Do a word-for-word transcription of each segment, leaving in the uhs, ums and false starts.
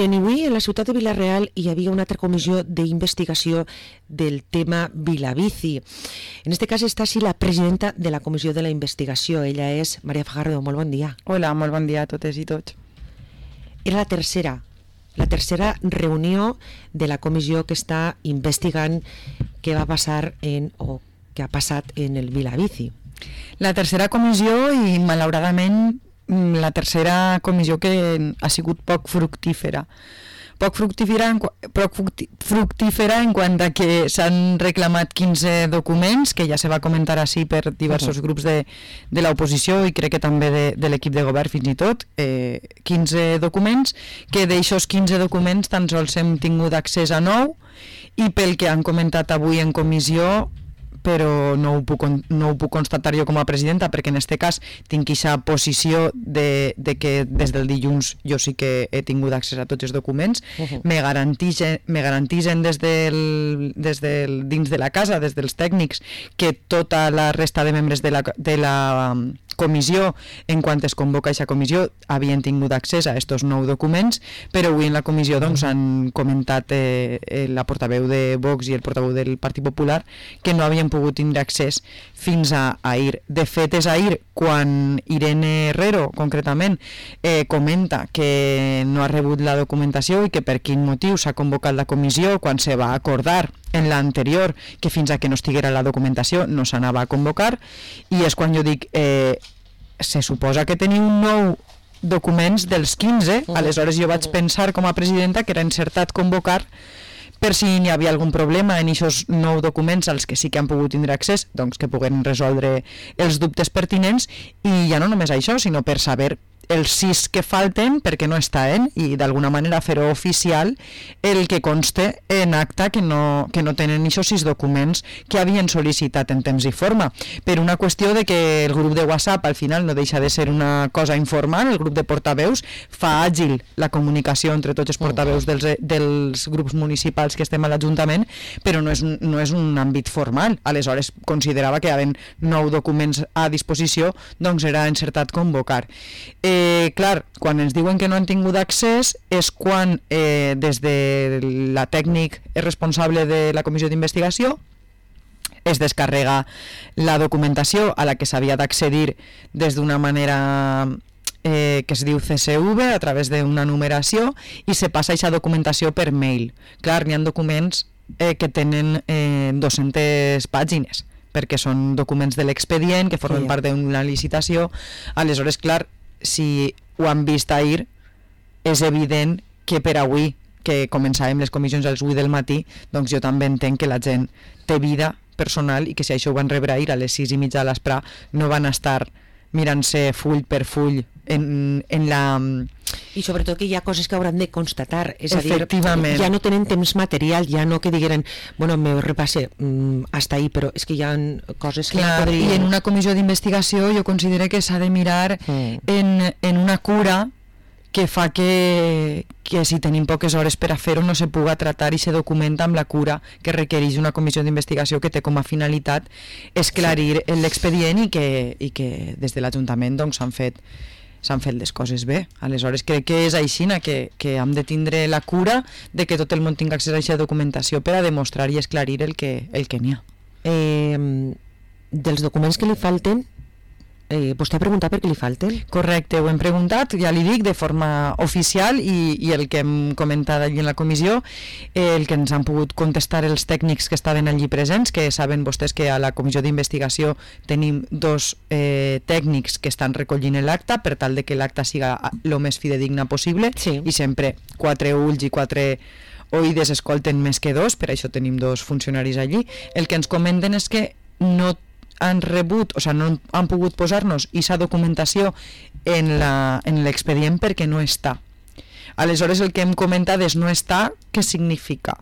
Miren, avui a la ciutat de Vila-real hi havia una altra comissió d'investigació del tema Vilabici. En este cas està així la presidenta de la comissió de la investigació. Ella és Maria Fajardo. Molt bon dia. Hola, molt bon dia a totes i tots. Era la tercera, la tercera reunió de la comissió que està investigant què va passar en, o què ha passat en el Vilabici. La tercera comissió i, malauradament, la tercera comissió que ha sigut poc fructífera. Poc fructífera en, poc fructífera en quant a que s'han reclamat quinze documents, que ja se va comentar així per diversos uh-huh. grups de, de l'oposició i crec que també de, de l'equip de govern fins i tot, eh, quinze documents, que d'aixòs quinze documents tan sols hem tingut accés a nou i pel que han comentat avui en comissió, però no ho, puc, no ho puc constatar jo com a presidenta perquè en aquest cas tinc aquesta posició de, de que des del dilluns jo sí que he tingut accés a tots els documents. Uh-huh. me garantixen, me garantixen des del, des del, dins de la casa, des dels tècnics, que tota la resta de membres de la, de la comissió, en quant es convoca aquesta comissió, havien tingut accés a aquests nou documents, però avui en la comissió doncs, han comentat eh, la portaveu de Vox i el portaveu del Partit Popular que no havien pogut tindre accés fins a ahir. De fet, és ahir quan Irene Herrero, concretament, eh, comenta que no ha rebut la documentació i que per quin motiu s'ha convocat la comissió quan se va acordar en l'anterior que fins a que no estiguera la documentació no s'anava a convocar, i és quan jo dic eh, se suposa que teniu nou documents dels quinze, aleshores jo vaig pensar com a presidenta que era encertat convocar per si n'hi havia algun problema en aquests nou documents als que sí que han pogut tindre accés, doncs que puguen resoldre els dubtes pertinents, i ja no només això, sinó per saber els sis que falten perquè no estan i d'alguna manera fer-ho oficial el que conste en acta que no, que no tenen aquests sis documents que havien sol·licitat en temps i forma, per una qüestió de que el grup de WhatsApp al final no deixa de ser una cosa informal, el grup de portaveus fa àgil la comunicació entre tots els portaveus dels, dels grups municipals que estem a l'Ajuntament, però no és, un, no és un àmbit formal. Aleshores considerava que hi havia nou documents a disposició, doncs era encertat convocar. Eh, Eh, clar, quan ens diuen que no han tingut accés és quan eh, des de la tècnic responsable de la comissió d'investigació es descarrega la documentació a la que s'havia d'accedir des d'una manera eh, que es diu C S V a través d'una numeració i se passa aquesta documentació per mail. Clar, n'hi ha documents eh, que tenen eh, dues-centes pàgines perquè són documents de l'expedient que formen sí. part d'una licitació. Aleshores, clar, si ho han vist ahir, és evident que per avui, que començàvem les comissions als vuit del matí, doncs jo també entenc que la gent té vida personal i que si això ho van rebre ahir a les sis i mitja de l'espre no van estar mirant-se full per full en, en la... I sobretot que hi ha coses que hauran de constatar, és a dir, ja no tenen temps material, ja no que digueren, bueno, me repasse mmm, hasta ahí, però és que hi ha coses que... Clar, podrien... I en una comissió d'investigació jo considero que s'ha de mirar mm. en, en una cura que fa que, que si tenim poques hores per a fer-ho no se puga tratar i se documenta amb la cura que requereix una comissió d'investigació que té com a finalitat esclarir sí. l'expedient i que, i que des de l'Ajuntament doncs, s'han fet s'han fet les coses bé. Aleshores crec que és així que, que hem de tindre la cura de que tot el món tingui accés a aquesta documentació per a demostrar i esclarir el que, el que n'hi ha. Eh, dels documents que li falten, Eh, vostè ha preguntat per què li falten? Correcte, ho hem preguntat, ja li dic, de forma oficial i, i el que hem comentat allí en la comissió, eh, el que ens han pogut contestar els tècnics que estaven allí presents, que saben vostès que a la comissió d'investigació tenim dos eh, tècnics que estan recollint l'acta per tal de que l'acta siga el més fidedigna possible sí. i sempre quatre ulls i quatre oïdes escolten més que dos, per això tenim dos funcionaris allí. El que ens comenten és que no han rebut, o sigui, no han pogut posar-nos aquesta documentació en l'expedient perquè no està. Aleshores el que hem comentat és no està, què significa?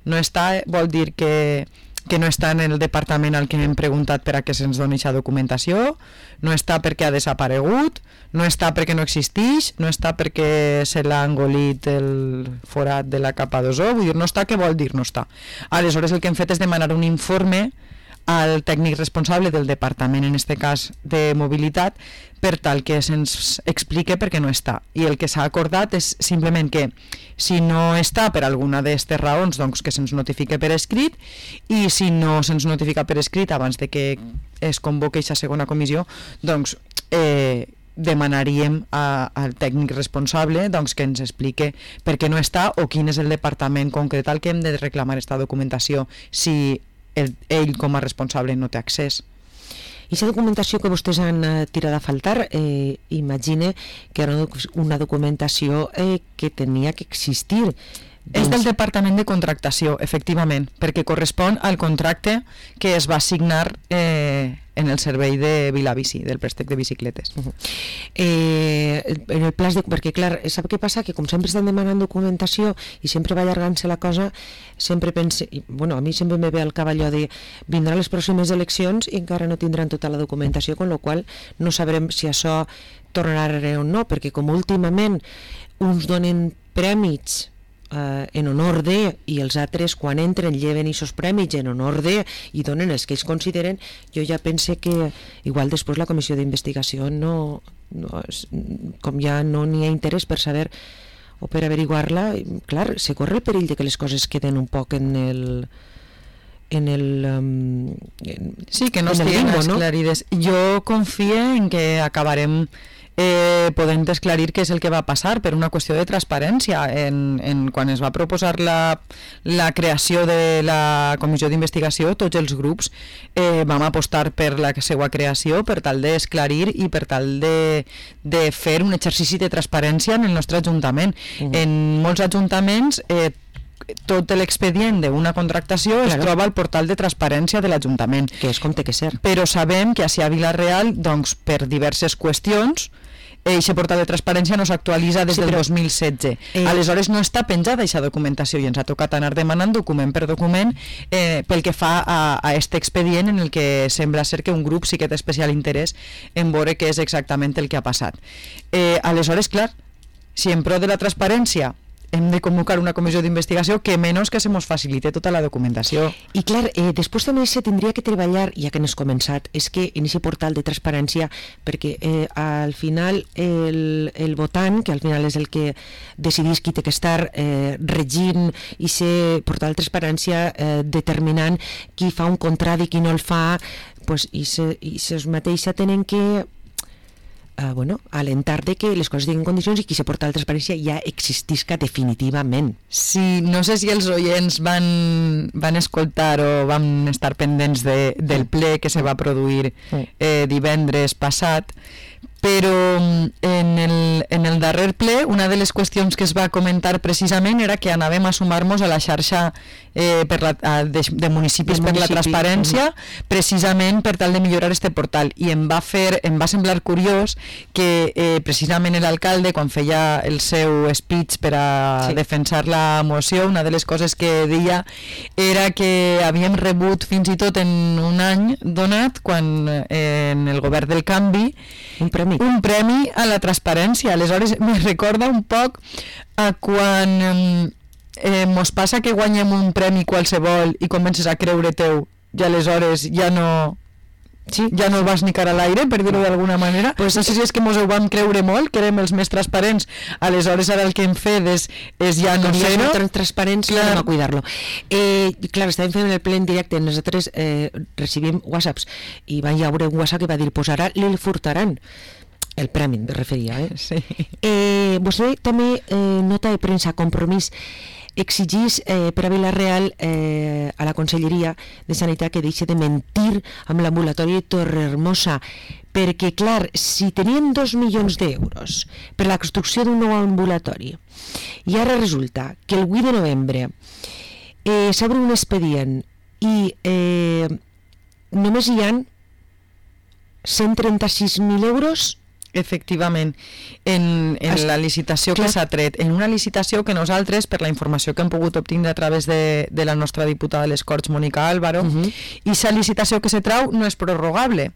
No està vol dir que, que no està en el departament al que hem preguntat per a què se'ns doni aquesta documentació, no està perquè ha desaparegut, no està perquè no existeix, no està perquè se l'ha engolit el forat de la capa d'ozó, vull dir, no està, què vol dir no està? Aleshores el que hem fet és demanar un informe al tècnic responsable del departament, en aquest cas de mobilitat, per tal que se'ns explique per què no està. I el que s'ha acordat és simplement que si no està per alguna d'aquestes raons, doncs que se'ns notifique per escrit, i si no se'ns notifica per escrit abans de que es convoqui aquesta segona comissió, doncs eh, demanaríem a, al tècnic responsable doncs, que ens explique per què no està o quin és el departament concret al que hem de reclamar aquesta documentació si el, ell com a responsable no té accés. I aquesta documentació que vostès han eh, tirat a faltar, eh, imagine que era una documentació eh, que tenia que existir. És del Departament de Contractació, efectivament, perquè correspon al contracte que es va signar eh, en el servei de Vilabici, del préstec de bicicletes. Uh -huh. eh, en el pla de... Perquè, clar, sap què passa? Que com sempre estan demanant documentació i sempre va allargant-se la cosa, sempre pense... I, bueno, a mi sempre me ve al cap allò de vindran les pròximes eleccions i encara no tindran tota la documentació, con la qual no sabrem si això tornarà o no, perquè com últimament uns donen prèmits Uh, en honor de, i els altres quan entren lleven aquests prèmits en honor de i donen els que ells consideren, jo ja pense que igual després la comissió d'investigació no, no com ja no n'hi ha interès per saber o per averiguar-la, clar, se corre el perill de que les coses queden un poc en el en el um, en, sí, que no estiguin esclarides. No? Jo confio en que acabarem Eh, podem desclarir què és el que va passar per una qüestió de transparència. En, en, quan es va proposar la, la creació de la comissió d'investigació, tots els grups eh, vam apostar per la seva creació per tal d'esclarir i per tal de, de fer un exercici de transparència en el nostre ajuntament. Uh-huh. En molts ajuntaments eh, tot l'expedient d'una contractació claro. Es troba al portal de transparència de l'Ajuntament. Que és com té que ser. Però sabem que a Vila-real, doncs, per diverses qüestions, aquest portal de transparència no s'actualitza des sí, del però, dos mil setze. Eh... Aleshores no està penjada aquesta documentació i ens ha tocat anar demanant document per document eh, pel que fa a aquest expedient en el que sembla ser que un grup sí que té especial interès en veure què és exactament el que ha passat. Eh, aleshores, clar, si en pro de la transparència hem de convocar una comissió d'investigació, que menys que se mos facilite tota la documentació. I clar, eh, després també se tindria que treballar, ja que n'has començat, és que en aquest portal de transparència, perquè eh, al final el, el votant, que al final és el que decidís qui té que estar eh, regint i ser portal de transparència eh, determinant qui fa un contrat i qui no el fa, pues, i ses mateixa tenen que Uh, bueno, alentar de que les coses tinguin condicions i que se porta la transparència ja existisca definitivament. Sí, no sé si els oients van, van escoltar o van estar pendents de, del ple que se va produir eh, divendres passat, però en el, en el darrer ple una de les qüestions que es va comentar precisament era que anàvem a sumar-nos a la xarxa eh, per la, a, de, de municipis de per municipi. La transparència, precisament per tal de millorar este portal, i em va fer, em va semblar curiós que eh, precisament l'alcalde, quan feia el seu speech per a sí. defensar la moció, una de les coses que deia era que havíem rebut fins i tot en un any donat, quan eh, en el govern del canvi, un premi un premi a la transparència. Aleshores me recorda un poc a quan eh, mos passa que guanyem un premi qualsevol i comences a creure teu i aleshores ja no sí, ja no el vas ni cara a l'aire, per dir-ho d'alguna manera. Pues no sé si és que mos ho vam creure molt, que érem els més transparents, aleshores ara el que hem fet és, és ja no ser no transparents, clar, no cuidar-lo. Eh, clar, estàvem fent el ple en directe, nosaltres eh, recibim whatsapps i va haver un whatsapp que va dir, pues ara li furtaran el premi, me referia, eh? Sí. Eh, vostè també, eh, nota de premsa, Compromís, exigís eh, per a Vila-real eh, a la Conselleria de Sanitat que deixi de mentir amb l'ambulatori de Torrehermosa, perquè, clar, si tenien dos milions d'euros per la construcció d'un nou ambulatori i ara resulta que el vuit de novembre eh, s'obre un expedient i eh, només hi ha cent trenta-sis mil euros. Efectivament, en, en la licitació que s'ha tret, en una licitació que nosaltres, per la informació que hem pogut obtindre a través de, de la nostra diputada de les Corts, Mònica Álvaro, uh-huh. i la licitació que se trau no és prorrogable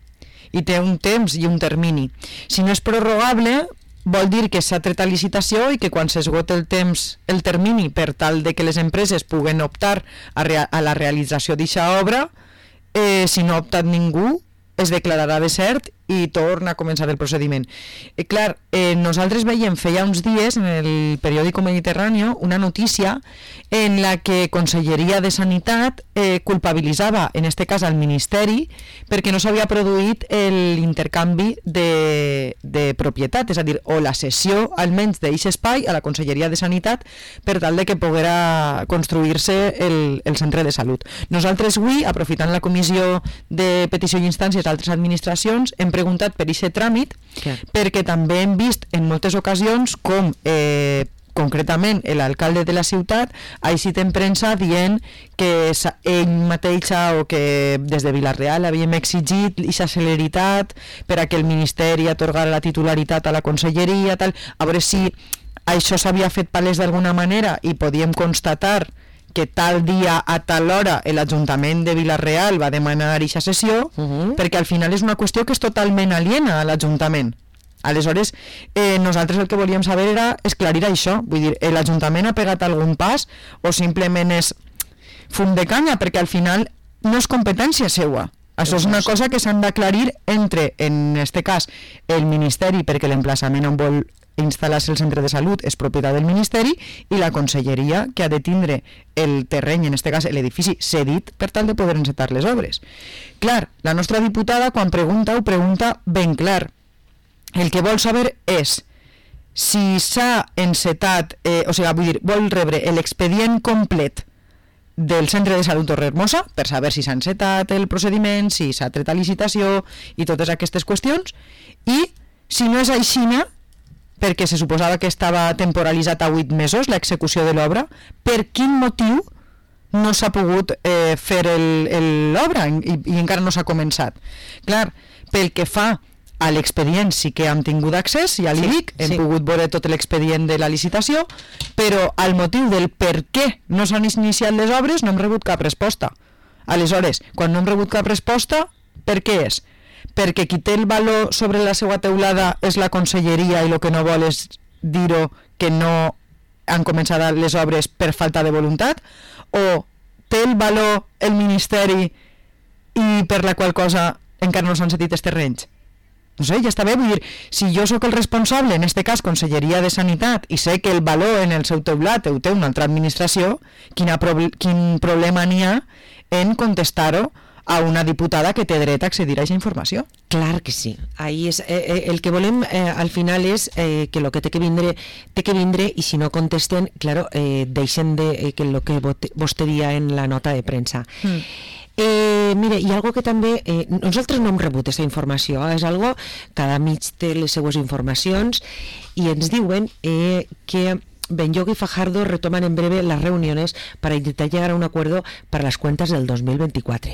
i té un temps i un termini. Si no és prorrogable, vol dir que s'ha tret a licitació i que quan s'esgota el temps, el termini, per tal de que les empreses puguen optar a, rea- a la realització d'aquesta obra, eh, si no ha optat ningú, es declararà desert i torna a començar el procediment. Eh, clar, eh, nosaltres veiem feia uns dies en el periòdico Mediterráneo una notícia en la que Conselleria de Sanitat eh, culpabilitzava, en este cas al Ministeri, perquè no s'havia produït l'intercanvi de, de propietat, és a dir, o la cessió almenys d'aquest espai a la Conselleria de Sanitat per tal de que poguera construir-se el, el centre de salut. Nosaltres avui, aprofitant la comissió de petició i instàncies d'altres administracions, hem preguntat per aquest tràmit, Clar. perquè també hem vist en moltes ocasions com eh, concretament l'alcalde de la ciutat ha eixit en premsa dient que ell mateixa o que des de Vila-real havíem exigit aquesta celeritat per a que el Ministeri atorgara la titularitat a la conselleria, tal. A veure si això s'havia fet palès d'alguna manera i podíem constatar que tal dia a tal hora l'Ajuntament de Vila-real va demanar aquesta sessió, uh -huh. perquè al final és una qüestió que és totalment aliena a l'Ajuntament. Aleshores, eh, nosaltres el que volíem saber era esclarir això, vull dir, l'Ajuntament ha pegat algun pas o simplement és fum de canya, perquè al final no és competència seua. Això és una cosa que s'han d'aclarir entre, en este cas, el Ministeri, perquè l'emplaçament on vol instal·lar-se el centre de salut és propietat del Ministeri, i la Conselleria, que ha de tindre el terreny, en este cas l'edifici, cedit per tal de poder encetar les obres. Clar, la nostra diputada, quan pregunta, ho pregunta ben clar. El que vol saber és si s'ha encetat, eh, o sigui, vull dir, vol rebre l'expedient complet del centre de salut Torrehermosa per saber si s'ha encetat el procediment, si s'ha tret a licitació i totes aquestes qüestions, i si no és aixina, perquè se suposava que estava temporalitzat a vuit mesos l'execució de l'obra, per quin motiu no s'ha pogut eh, fer l'obra i, i encara no s'ha començat. Clar, pel que fa a l'expedient sí que hem tingut accés, ja li sí, dic, hem sí. pogut veure tot l'expedient de la licitació, però al motiu del per què no s'han iniciat les obres no hem rebut cap resposta. Aleshores, quan no hem rebut cap resposta, per què és? Perquè qui té el valor sobre la seva teulada és la conselleria i el que no vol és dir-ho que no han començat les obres per falta de voluntat, o té el valor el Ministeri i per la qual cosa encara no s'han cedit els terrenys? No sé, ja està bé, vull dir, si jo sóc el responsable, en este cas Conselleria de Sanitat, i sé que el valor en el seu teulat ho té una altra administració, quina proble quin problema n'hi ha en contestar-ho a una diputada que té dret a accedir a aquesta informació? Clar que sí. Ahí és, eh, el que volem eh, al final és eh, que el que té que vindre té que vindre, i si no contesten, claro, eh, deixen de eh, que el que vostè dia en la nota de premsa. Mm. Eh, mire, hi ha algo que també eh, nosaltres no hem rebut aquesta informació, és algo, cada mig té les seues informacions, i ens diuen eh, que Benlloch y Fajardo retoman en breve las reuniones para intentar llegar a un acuerdo para las cuentas del dos mil veinticuatro.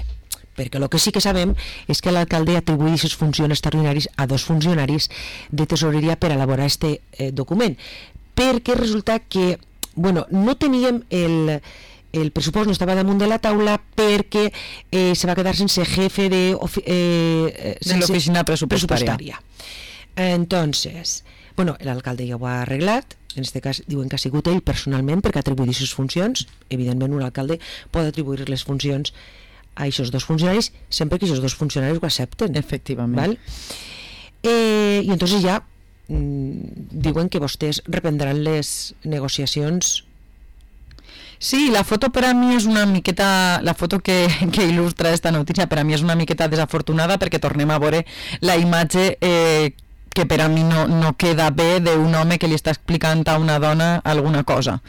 Perquè el que sí que sabem és que l'alcalde atribueix les funcions extraordinàries a dos funcionaris de tesoreria per elaborar este eh, document, perquè resulta que, bueno, no teníem el... el pressupost no estava damunt de la taula perquè eh, se va quedar sense jefe de, eh, de l'oficina pressupostària. pressupostària. Entonces, bueno, l'alcalde ja ho ha arreglat, en aquest cas diuen que ha sigut ell personalment perquè atribuïa les funcions. Evidentment un alcalde pot atribuir les funcions a aquests dos funcionaris sempre que aquests dos funcionaris ho accepten. Efectivament. ¿Val? Eh, I entonces ja mm, diuen que vostès reprendran les negociacions. Sí, la foto per a mi és una miqueta, la foto que, que il·lustra esta notícia per a mi és una miqueta desafortunada, perquè tornem a veure la imatge eh, que per a mi no, no queda bé d'un home que li està explicant a una dona alguna cosa,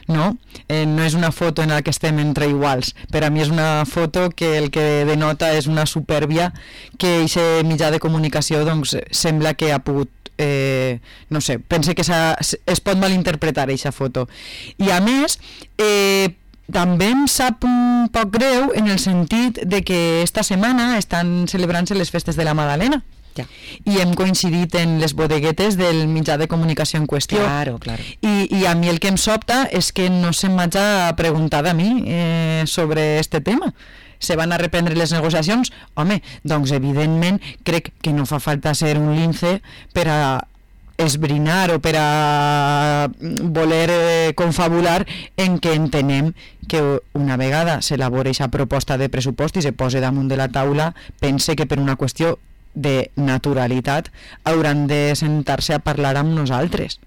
no? Eh, no és una foto en la que estem entre iguals. Per a mi és una foto que el que denota és una supèrbia que aquest mitjà de comunicació doncs, sembla que ha pogut Eh, no sé, pense que es pot malinterpretar aquesta foto. I a més eh, també em sap un poc greu en el sentit de que esta setmana estan celebrant-se les festes de la Madalena. Ja. I hem coincidit en les bodeguetes del mitjà de comunicació en qüestió. Claro, claro. I, i a mi el que em sobta és que no se'm hagi preguntat a mi eh, sobre este tema. Se van a reprendre les negociacions? Home, doncs evidentment crec que no fa falta ser un lince per a esbrinar o per a voler eh, confabular en què entenem que una vegada s'elabora aquesta proposta de pressupost i se posa damunt de la taula, pense que per una qüestió de naturalitat hauran de sentar-se a parlar amb nosaltres,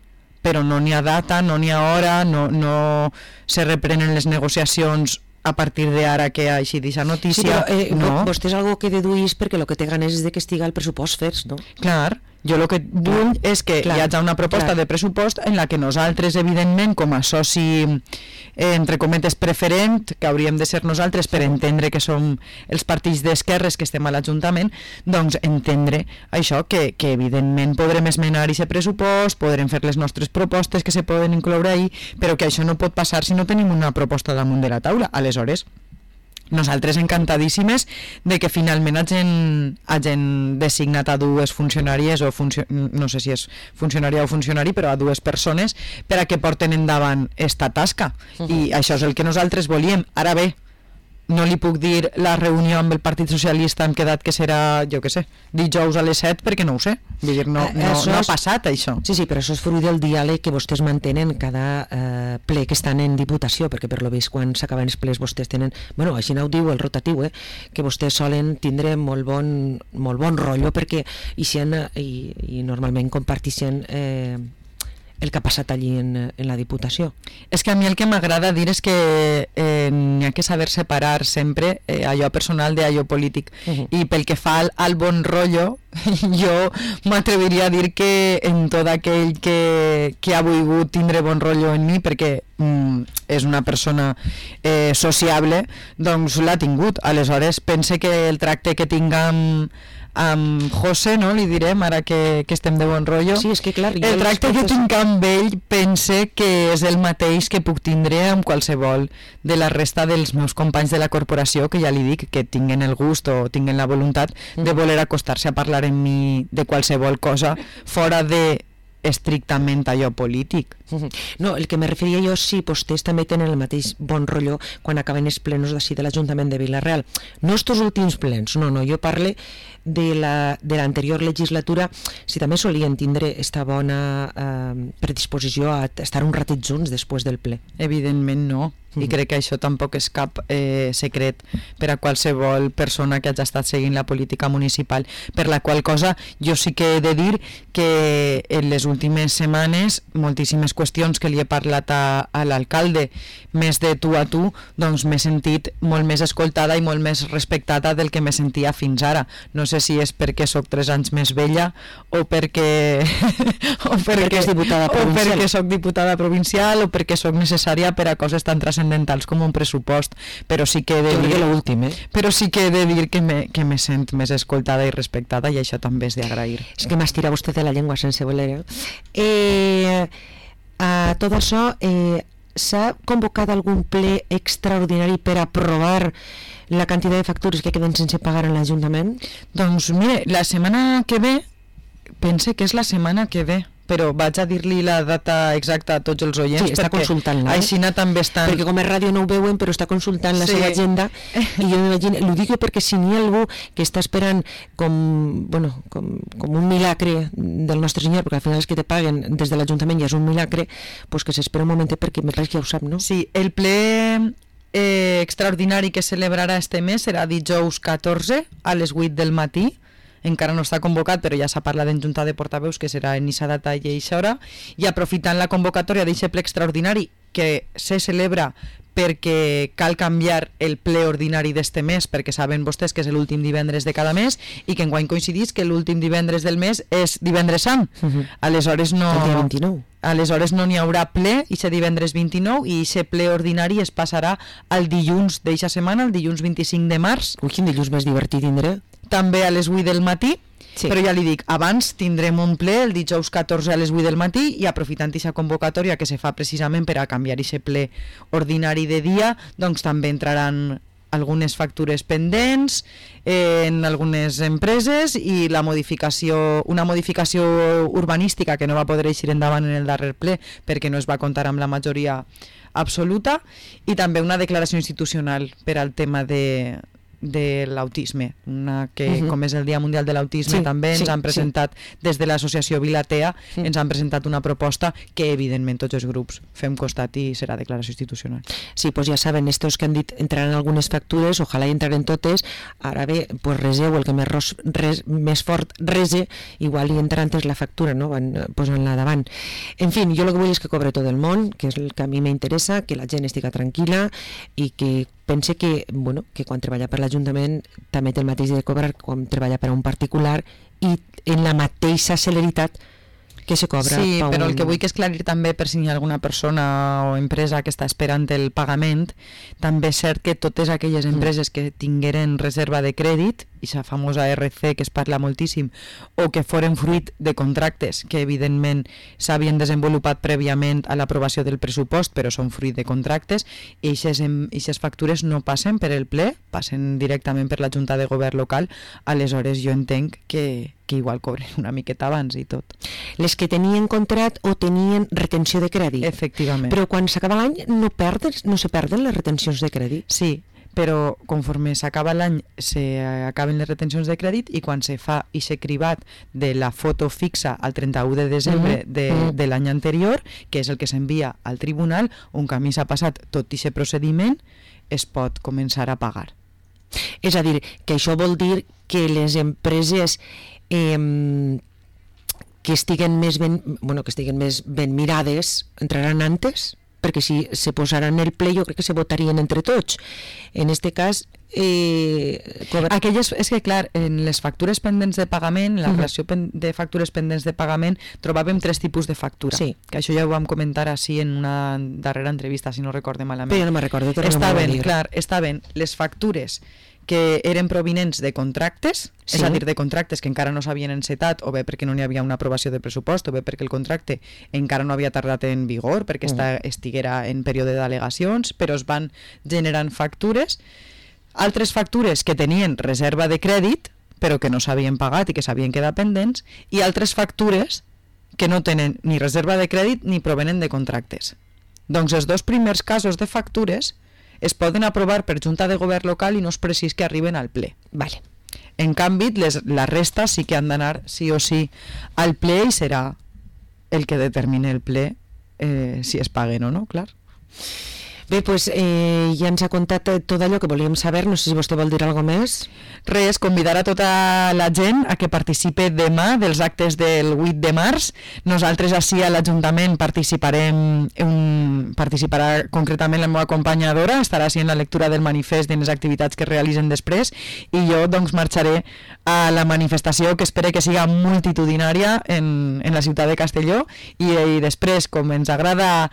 però no n'hi ha data, no n'hi ha hora, no, no se reprenen les negociacions a partir d'ara que ha així d'aquesta notícia. Sí, però eh, no. vostè és algo que deduís perquè el que té ganes és de que estiga el pressupost fets, no? Clar, jo el que vull clar, és que clar, hi hagi una proposta clar. de pressupost en la que nosaltres, evidentment, com a soci, eh, entre cometes, preferent, que hauríem de ser nosaltres per entendre que som els partits d'esquerres que estem a l'Ajuntament, doncs entendre això, que, que evidentment podrem esmenar aquest pressupost, podrem fer les nostres propostes que se poden incloure ahí, però que això no pot passar si no tenim una proposta damunt de la taula. Aleshores, nosaltres encantadíssimes de que finalment hagin, hagin designat a dues funcionàries o funcio no sé si és funcionària o funcionari, però a dues persones per a que porten endavant esta tasca. Uh-huh. I això és el que nosaltres volíem. Ara bé, no li puc dir la reunió amb el Partit Socialista hem quedat que serà, jo què sé, dijous a les set, perquè no ho sé. Vull dir, no, no, no ha passat això. Sí, sí, però això és fruit del diàleg que vostès mantenen cada eh, ple que estan en Diputació, perquè per lo vist quan s'acaben els plens vostès tenen, bueno, així no ho diu el rotatiu, eh, que vostès solen tindre molt bon, molt bon rotllo perquè i, i, i normalment compartixen eh, el que ha passat allí en, en la Diputació. És que a mi el que m'agrada dir és que eh, n'hi ha que saber separar sempre eh, allò personal d'allò polític. Uh-huh. I pel que fa al, al bon rotllo, jo m'atreviria a dir que en tot aquell que, que ha volgut tindre bon rotllo en mi, perquè mm, és una persona eh, sociable, doncs l'ha tingut. Aleshores, pense que el tracte que tinguem amb José, no? Li direm, ara que, que estem de bon rotllo. Sí, és que clar, el tracte que tinc amb ell pense que és el mateix que puc tindre amb qualsevol de la resta dels meus companys de la corporació, que ja li dic que tinguen el gust o tinguen la voluntat de voler acostar-se a parlar amb mi de qualsevol cosa fora de estrictament allò polític. No, el que me referia jo, sí, vostès també tenen el mateix bon rotllo quan acaben els plenos d'ací de l'Ajuntament de Vila-real. No estos últims plens, no, no, jo parle de la de l'anterior legislatura, si també solien tindre esta bona eh, predisposició a estar un ratet junts després del ple. Evidentment no, i mm. crec que això tampoc és cap eh, secret per a qualsevol persona que hagi estat seguint la política municipal, per la qual cosa jo sí que he de dir que en les últimes setmanes moltíssimes qüestions que li he parlat a, a l'alcalde més de tu a tu, doncs m'he sentit molt més escoltada i molt més respectada del que me sentia fins ara. No sé si és perquè sóc tres anys més vella o perquè o perquè, perquè, diputada o perquè soc diputada provincial o perquè soc necessària per a coses tan transcendentals com un pressupost, però sí que he de dir, l'últim, eh? però sí que he de dir que me, que me sent més escoltada i respectada, i això també és d'agrair. És que m'estira vostè de la llengua sense voler. Eh, a tot això, eh, s'ha convocat algun ple extraordinari per aprovar la quantitat de factures que queden sense pagar en l'Ajuntament? Doncs mire, la setmana que ve, pense que és la setmana que ve, però vaig a dir-li la data exacta a tots els oients, sí, està consultant-la, eh? Així també estan... Perquè com a ràdio no ho veuen, però està consultant la sí. seva agenda, i jo m'imagino, ho dic perquè si n'hi ha algú que està esperant com, bueno, com, com un milagre del nostre senyor, perquè al final els que te paguen des de l'Ajuntament ja és un milagre, doncs que s'espera un momentet perquè me pareix que ja ho sap, no? Sí, el ple eh, extraordinari que celebrarà este mes serà dijous catorze a les vuit del matí. Encara no està convocat, però ja s'ha parlat en Junta de Portaveus que serà en eixa data i eixa hora, i aprofitant la convocatòria d'aquest ple extraordinari que se celebra perquè cal canviar el ple ordinari d'este mes, perquè saben vostès que és l'últim divendres de cada mes i que enguany coincidís que l'últim divendres del mes és divendres sant. Uh-huh. Aleshores no... El dia vint-i-nou. Aleshores no n'hi haurà ple, i se divendres vint-i-nou, i aquest ple ordinari es passarà al dilluns d'eixa setmana, el dilluns vint-i-cinc de març. Ui, quin dilluns més divertit tindré. També a les vuit del matí, sí. Però ja li dic, abans tindrem un ple el dijous catorze a les vuit del matí, i aprofitant aquesta convocatòria que se fa precisament per a canviar aquest ple ordinari de dia, doncs també entraran algunes factures pendents en algunes empreses i la modificació, una modificació urbanística que no va poder eixir endavant en el darrer ple perquè no es va comptar amb la majoria absoluta, i també una declaració institucional per al tema de de l'autisme, una que uh-huh. com és el Dia Mundial de l'Autisme, sí, també ens sí, han presentat, sí. des de l'associació Vilatea, sí. ens han presentat una proposta que evidentment tots els grups fem costat i serà declaració institucional. Sí, pues ja saben, estos que han dit entraran algunes factures, ojalà hi entraren totes, ara bé, pues reseu, el que més, ros, res, més fort rese, igual hi entra antes la factura, no? Van posant-la davant. En fi, jo el que vull és que cobre tot el món, que és el que a mi m'interessa, que la gent estigui tranquil·la i que pense que, bueno, que quan treballa per l'Ajuntament també té el mateix de cobrar quan treballa per a un particular i en la mateixa celeritat que se cobra. Sí, però un... el que vull que esclarir també per si hi ha alguna persona o empresa que està esperant el pagament, també és cert que totes aquelles empreses que tingueren reserva de crèdit, i la famosa R C que es parla moltíssim, o que foren fruit de contractes que evidentment s'havien desenvolupat prèviament a l'aprovació del pressupost, però són fruit de contractes, i aquestes factures no passen per el ple, passen directament per la Junta de Govern local. Aleshores jo entenc que, que igual cobren una miqueta abans i tot. Les que tenien contract o tenien retenció de crèdit. Efectivament. Però quan s'acaba l'any no, perden, no se perden les retencions de crèdit? Sí, però conforme s'acaba l'any s'acaben les retencions de crèdit i quan se fa i s'ha cribat de la foto fixa al trenta-u de desembre uh-huh. de, uh-huh. de l'any anterior, que és el que s'envia al tribunal, un camí s'ha passat tot aquest procediment, es pot començar a pagar. És a dir, que això vol dir que les empreses eh, que estiguen més ben, bueno, que estiguen més ben mirades entraran antes? Perquè si se posaran el ple jo crec que se votarien entre tots. En este cas eh, cobra... aquelles, és que clar, en les factures pendents de pagament, la uh-huh. relació pen, de factures pendents de pagament, trobàvem tres tipus de factura, sí. que això ja ho vam comentar així en una darrera entrevista, si no recorde malament. Però jo no me'n recordo. Estaven, clar, estaven les factures que eren provinents de contractes, sí. és a dir, de contractes que encara no s'havien encetat, o bé perquè no n'hi havia una aprovació de pressupost, o bé perquè el contracte encara no havia tardat en vigor, perquè mm. esta, estiguera en període d'al·legacions, però es van generant factures. Altres factures que tenien reserva de crèdit, però que no s'havien pagat i que s'havien quedat pendents, i altres factures que no tenen ni reserva de crèdit ni provenen de contractes. Doncs els dos primers casos de factures es poden aprovar per Junta de Govern local i no és precís que arriben al ple. Vale. En canvi, les, la resta sí que han d'anar sí o sí al ple i serà el que determine el ple eh, si es paguen o no, clar. Bé, doncs eh, ja ens ha contat tot allò que volíem saber, no sé si vostè vol dir alguna més. Res, convidar a tota la gent a que participe demà dels actes del vuit de març. Nosaltres així a l'Ajuntament participarem, un, participarà concretament la meva acompanyadora, estarà així en la lectura del manifest de les activitats que es realitzen després, i jo doncs marxaré a la manifestació que espero que siga multitudinària en, en la ciutat de Castelló, i, i després, com ens agrada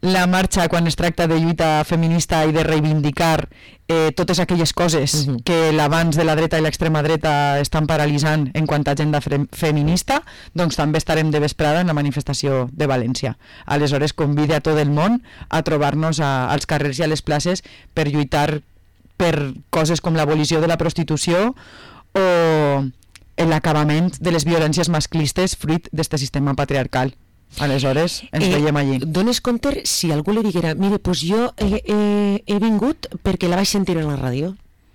la marxa quan es tracta de lluita feminista i de reivindicar eh, totes aquelles coses uh-huh. que l'abans de la dreta i l'extrema dreta estan paralitzant en quant a agenda fe- feminista, doncs també estarem de vesprada en la manifestació de València. Aleshores convide a tot el món a trobar-nos a, als carrers i a les places per lluitar per coses com l'abolició de la prostitució o l'acabament de les violències masclistes fruit d'aquest sistema patriarcal. Aleshores, ens eh, veiem allí. Dones compte si algú li diguera, mire, doncs jo he, he, he vingut perquè la vaig sentir en la ràdio.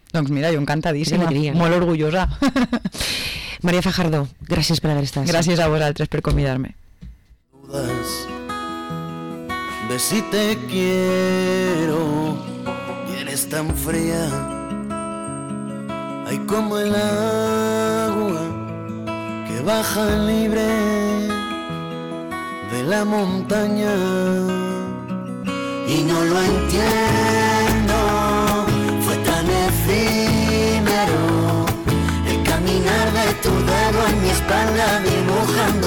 Doncs mira, jo encantadíssima, molt orgullosa. María Fajardo, gràcies per haver estat. Gràcies a vosaltres per convidar-me. Ve si te quiero y eres tan fría, hay como el agua que baja libre de la montaña y no lo entiendo, fue tan efímero el caminar de tu dedo en mi espalda dibujando